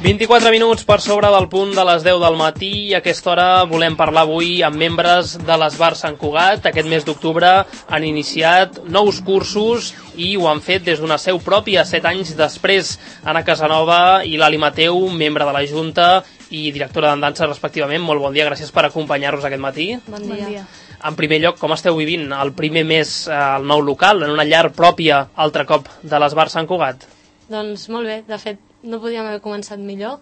24 minuts per sobre del punt de les 10 del matí i a aquesta hora volem parlar avui amb membres de l'Esbar Sant Cugat. Aquest mes d'octubre han iniciat nous cursos i ho han fet des d'una seu pròpia, 7 anys després. Anna Casanova i Lali Mateu, membre de la Junta i directora d'en dansa respectivament. Molt bon dia, gràcies per acompanyar-nos aquest matí. Bon dia. En primer lloc, com esteu vivint el primer mes al nou local, en una llar pròpia, altre cop, de l'Esbar Sant Cugat? Doncs molt bé, de fet no podíem haver començat millor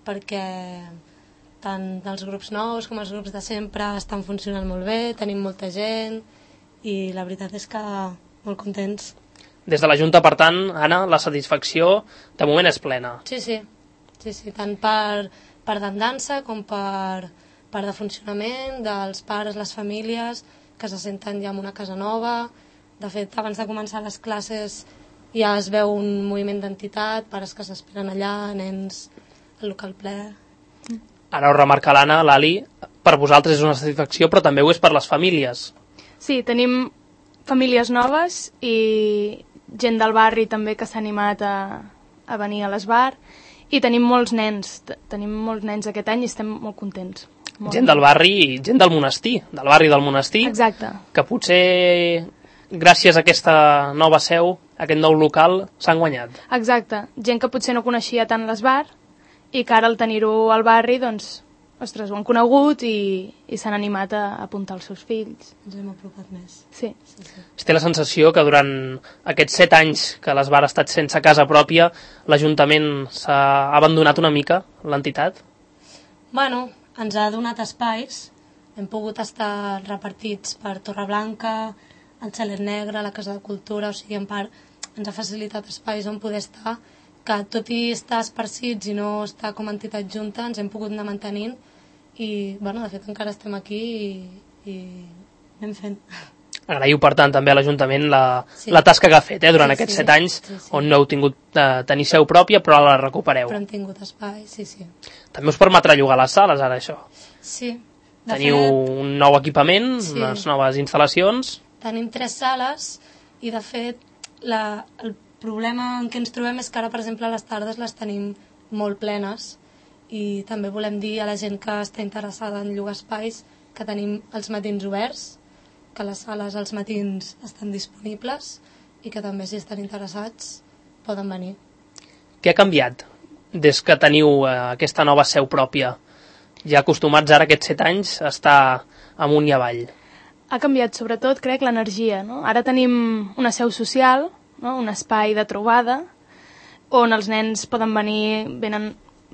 perquè tant els grups nous com els grups de sempre estan funcionant molt bé, tenim molta gent i la veritat és que molt contents. Des de la Junta, per tant, Anna, la satisfacció de moment és plena. Sí, tant per dansa com per de funcionament dels pares, les famílies que se senten ja en una casa nova. De fet, abans de començar les classes ja es veu un moviment d'entitat, pares que s'esperen allà, nens al local ple. Ara ho remarca l'Anna, Lali, per vosaltres és una satisfacció, però també ho és per les famílies. Sí, tenim famílies noves i gent del barri també que s'ha animat a venir a l'Esbar i tenim molts nens aquest any i estem molt contents. Gent del barri i gent del monestir, del barri del monestir. Exacte. Que potser gràcies a aquesta nova seu, aquest nou local, s'han guanyat. Exacte, gent que potser no coneixia tant l'Esbar i que ara al tenir-ho al barri, doncs, ostres, ho han conegut i s'han animat a apuntar els seus fills. Ens hem apropat més. Sí. Es té la sensació que durant aquests 7 anys que l'Esbar ha estat sense casa pròpia, l'Ajuntament s'ha abandonat una mica, l'entitat? Bueno, ens ha donat espais, hem pogut estar repartits per Torreblanca, el Xalet Negre, la Casa de Cultura, o sigui, en part ens ha facilitat espais on poder estar, que tot i estar esparcits i no estar com a entitat junta, ens hem pogut anar mantenint i, bueno, de fet encara estem aquí i anem fent. Agraïu, per tant, també a l'Ajuntament la tasca que ha fet durant aquests 7 anys, on no heu tingut tenir seu pròpia, però ara la recupereu. Però hem tingut espai, sí. També us permetrà llogar les sales, ara, això? Sí. Teniu un nou equipament, unes noves instal·lacions? Tenim 3 sales i, de fet, el problema en què ens trobem és que ara, per exemple, a les tardes les tenim molt plenes i també volem dir a la gent que està interessada en llogar espais que tenim els matins oberts, que les sales als matins estan disponibles i que també, si estan interessats, poden venir. Què ha canviat des que teniu aquesta nova seu pròpia? Ja acostumats ara aquests 7 anys a estar amunt i avall. Ha canviat sobretot, crec, l'energia, no? Ara tenim una seu social, no? Un espai de trobada on els nens poden venir, venen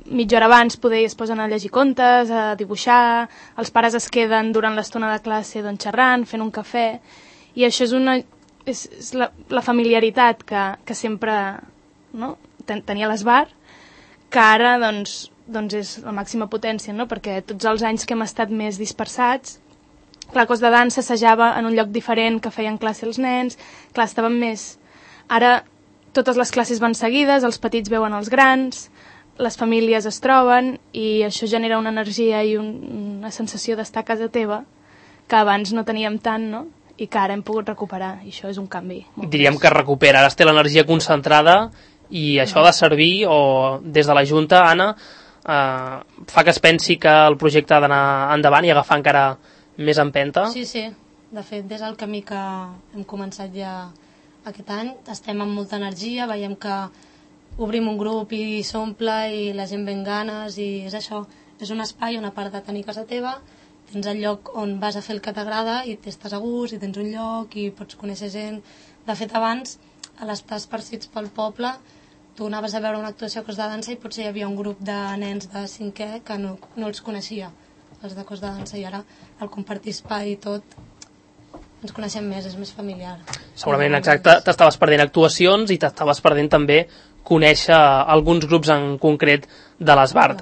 mitja hora abans, poder es posen a llegir contes, a dibuixar, els pares es queden durant l'estona de classe xerrant, fent un cafè, i això és la familiaritat que sempre, no? Tenia l'Esbar, que ara doncs és la màxima potència, no? Perquè tots els anys que hem estat més dispersats, la cos de dansa assajava en un lloc diferent que feien classe els nens, clar, estaven més. Ara totes les classes van seguides, els petits veuen els grans, les famílies es troben i això genera una energia i una sensació d'estar a casa teva que abans no teníem tant, no? I que ara hem pogut recuperar, i això és un canvi. Diríem que recupera, ara es té l'energia concentrada i això ha de servir, o des de la Junta, Anna, fa que es pensi que el projecte ha d'anar endavant i agafar encara més empenta? Sí, de fet, des del camí que hem començat ja aquest any, estem amb molta energia, veiem que obrim un grup i s'omple i la gent ve amb ganes i és això, és un espai on a part de tenir casa teva, tens el lloc on vas a fer el que t'agrada i estàs a gust i tens un lloc i pots conèixer gent. De fet, abans, a l'estar esparcits pel poble, tu anaves a veure una actuació a Cos de Dansa i potser hi havia un grup de nens de 5è que no els coneixia, els de Cos de Dansa, i ara al compartir espai i tot ens coneixem més, és més familiar. Segurament, exacte, t'estaves perdent actuacions i t'estaves perdent també conèixer alguns grups en concret de l'Esbar.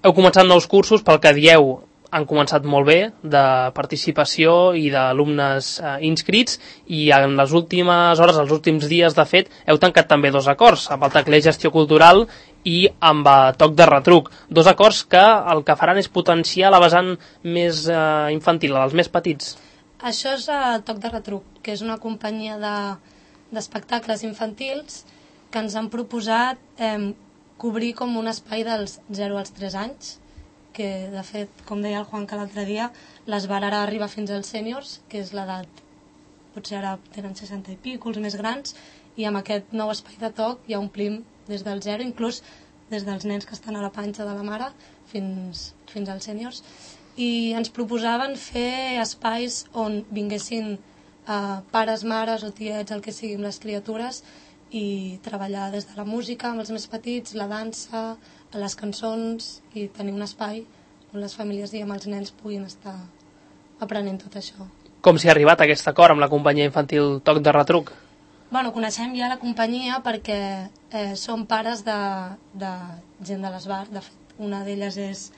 Heu començat nous cursos, pel que dieu, han començat molt bé, de participació i d'alumnes inscrits, i en les últimes hores, els últims dies, de fet, heu tancat també 2 acords, amb el tecler Gestió Cultural i amb Toc de Retruc. 2 acords que el que faran és potenciar la vessant més infantil, els més petits. Això és el Toc de Retruc, que és una companyia d'espectacles infantils que ens han proposat cobrir com un espai dels 0 als 3 anys, que de fet, com deia el Juan que l'altre dia, l'Esbar ara arriba fins als sèniors, que és l'edat, potser ara tenen 60 i pico, els més grans, i amb aquest nou espai de toc ja omplim des del 0, inclús des dels nens que estan a la panxa de la mare fins als sèniors. I ens proposaven fer espais on vinguessin pares, mares o tiets, el que sigui, amb les criatures, i treballar des de la música amb els més petits, la dansa, les cançons, i tenir un espai on les famílies i amb els nens puguin estar aprenent tot això. Com s'hi ha arribat a aquest acord amb la companyia infantil Toc de Retruc? Bueno, coneixem ja la companyia perquè som pares de gent de l'Esbar. De fet, una d'elles és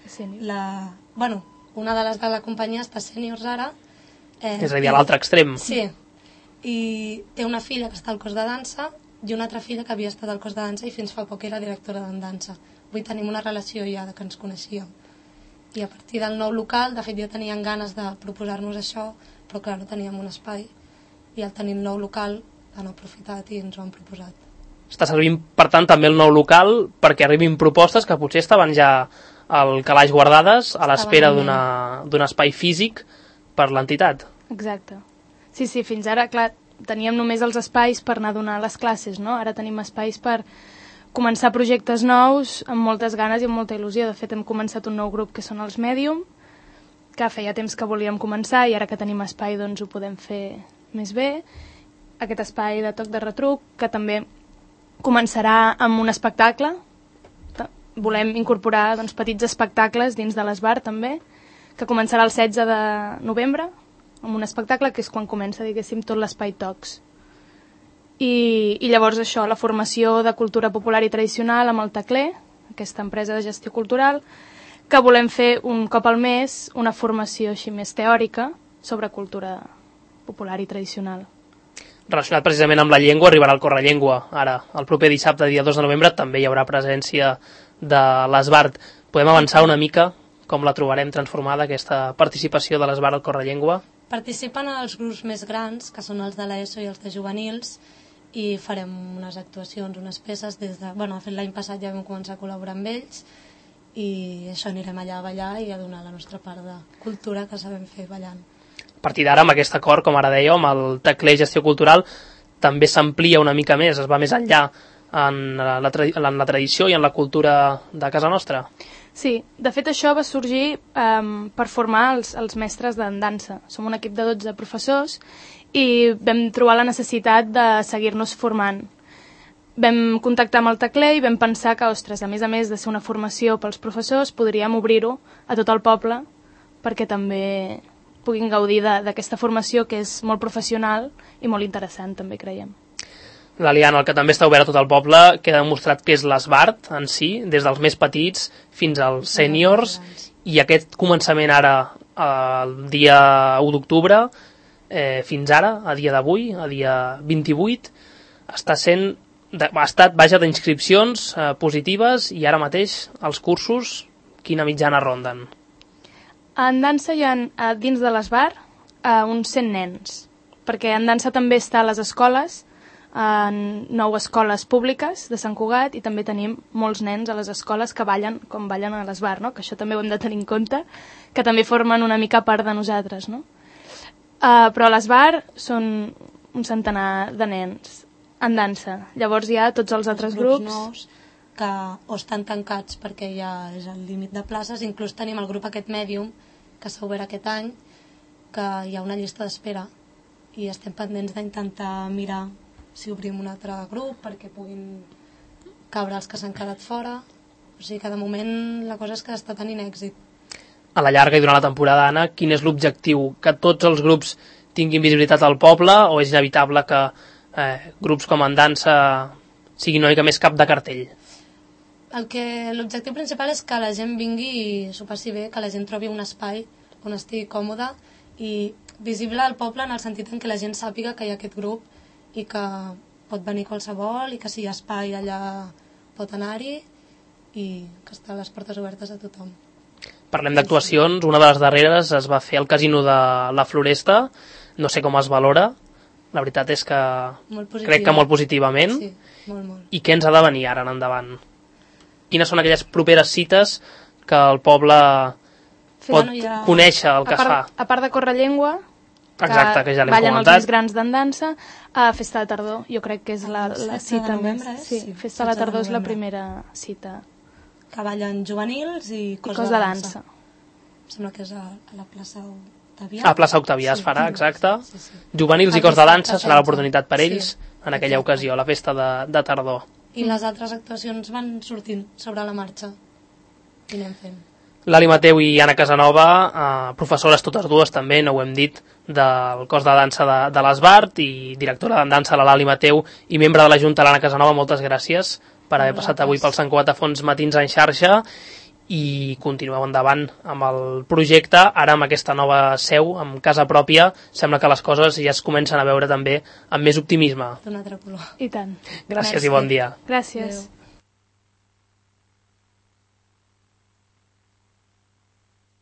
una de les de la companyia està sèniors ara. És a dir, a l'altre extrem. Sí, i té una filla que està al cos de dansa i una altra filla que havia estat al cos de dansa i fins fa poc era directora de dansa. Avui tenim una relació ja que ens coneixíem. I a partir del nou local, de fet ja tenien ganes de proposar-nos això, però clar, no teníem un espai, i al tenir el nou local han aprofitat i ens ho han proposat. Està servint, per tant, també el nou local perquè arribin propostes que potser estaven ja al calaix guardades a l'espera d'un espai físic per l'entitat. Exacte. Sí, fins ara, clar, teníem només els espais per anar a donar les classes, no? Ara tenim espais per començar projectes nous amb moltes ganes i amb molta il·lusió. De fet, hem començat un nou grup que són els Medium, que feia temps que volíem començar i ara que tenim espai doncs ho podem fer més bé. Aquest espai de Toc de Retruc, que també començarà amb un espectacle. Volem incorporar petits espectacles dins de l'Esbar també, que començarà el 16 de novembre, amb un espectacle que és quan comença, diguéssim, tot l'espai Tocs. I llavors això, la formació de cultura popular i tradicional amb el Tacler, aquesta empresa de gestió cultural, que volem fer un cop al mes una formació així més teòrica sobre cultura popular i tradicional. Relacionat precisament amb la llengua, arribarà el Correllengua. Ara, el proper dissabte, dia 2 de novembre, també hi haurà presència de l'Esbart. Podem avançar una mica com la trobarem transformada, aquesta participació de l'Esbart al Correllengua? Participen els grups més grans, que són els de l'ESO i els de juvenils, i farem unes actuacions, unes peces de fet l'any passat ja vam començar a col·laborar amb ells, i això, anirem allà a ballar i a donar la nostra part de cultura que sabem fer ballant. A partir d'ara, amb aquest acord, com ara dèieu, amb el Tacler Gestió Cultural, també s'amplia una mica més, es va més enllà en la tradició i en la cultura de casa nostra. Sí, de fet això va sorgir per formar els mestres de dansa. Som un equip de 12 professors i vam trobar la necessitat de seguir-nos formant. Vam contactar amb el Tacler i vam pensar que, ostres, a més de ser una formació pels professors, podríem obrir-ho a tot el poble perquè també puguin gaudir d'aquesta formació que és molt professional i molt interessant, també creiem. L'Aliana, el que també està obert a tot el poble, queda demostrat que és l'Esbart en si, des dels més petits fins als sèniors, i aquest començament ara, el dia 1 d'octubre, fins ara, a dia d'avui, a dia 28, ha estat d'inscripcions positives, i ara mateix els cursos, quina mitjana ronden? En dansa hi ha, dins de l'Esbar, uns 100 nens, perquè en dansa també està a les escoles, en 9 escoles públiques de Sant Cugat, i també tenim molts nens a les escoles que ballen com ballen a l'Esbar, no? Que això també ho hem de tenir en compte, que també formen una mica part de nosaltres, no? Però a l'Esbar són un centenar de nens en dansa. Llavors hi ha tots els altres grups nous que o estan tancats perquè ja és el límit de places. Inclús tenim el grup aquest Medium que s'ha obert aquest any, que hi ha una llista d'espera i estem pendents d'intentar mirar si obrim un altre grup perquè puguin cabre els que s'han quedat fora. O sigui que de moment la cosa és que està tenint èxit. A la llarga i durant la temporada, Anna, quin és l'objectiu? Que tots els grups tinguin visibilitat al poble, o és inevitable que grups com en dansa siguin una mica més cap de cartell? L'objectiu principal és que la gent vingui i s'ho passi bé, que la gent trobi un espai on estigui còmode i visible al poble, en el sentit en què la gent sàpiga que hi ha aquest grup i que pot venir qualsevol i que si hi ha espai allà pot anar-hi i que estan les portes obertes a tothom. Parlem d'actuacions, una de les darreres es va fer al Casino de la Floresta, no sé com es valora, la veritat és que crec que molt positivament. Sí, molt. I què ens ha de venir ara en endavant? quines són aquelles properes cites que el poble pot conèixer el que es fa. A part de Correllengua, exacte, que ja l'hem ballen comentat. els més grans d'andança, a Festa de Tardor, jo crec que és la cita més. Sí, Festa de Tardor és la primera cita. Que ballen juvenils i cos de dansa. Em sembla que és a la plaça Octavià. A plaça Octavià es farà, exacte. Juvenils i cos de dansa serà l'oportunitat per ells en aquella ocasió, a la Festa de Tardor. I les altres actuacions van sortint sobre la marxa. I anem fent. Lali Mateu i Anna Casanova, professores totes dues també, no ho hem dit, del cos de dansa de l'Esbart i directora de dansa la Lali Mateu i membre de la Junta l'Anna Casanova, moltes gràcies per haver passat avui pel Sant Cugat a Fons Matins en xarxa i continueu endavant amb el projecte, ara amb aquesta nova seu, amb casa pròpia, sembla que les coses ja es comencen a veure també amb més optimisme. D'un altre color. I tant. Gràcies i bon dia. Gràcies. Adeu.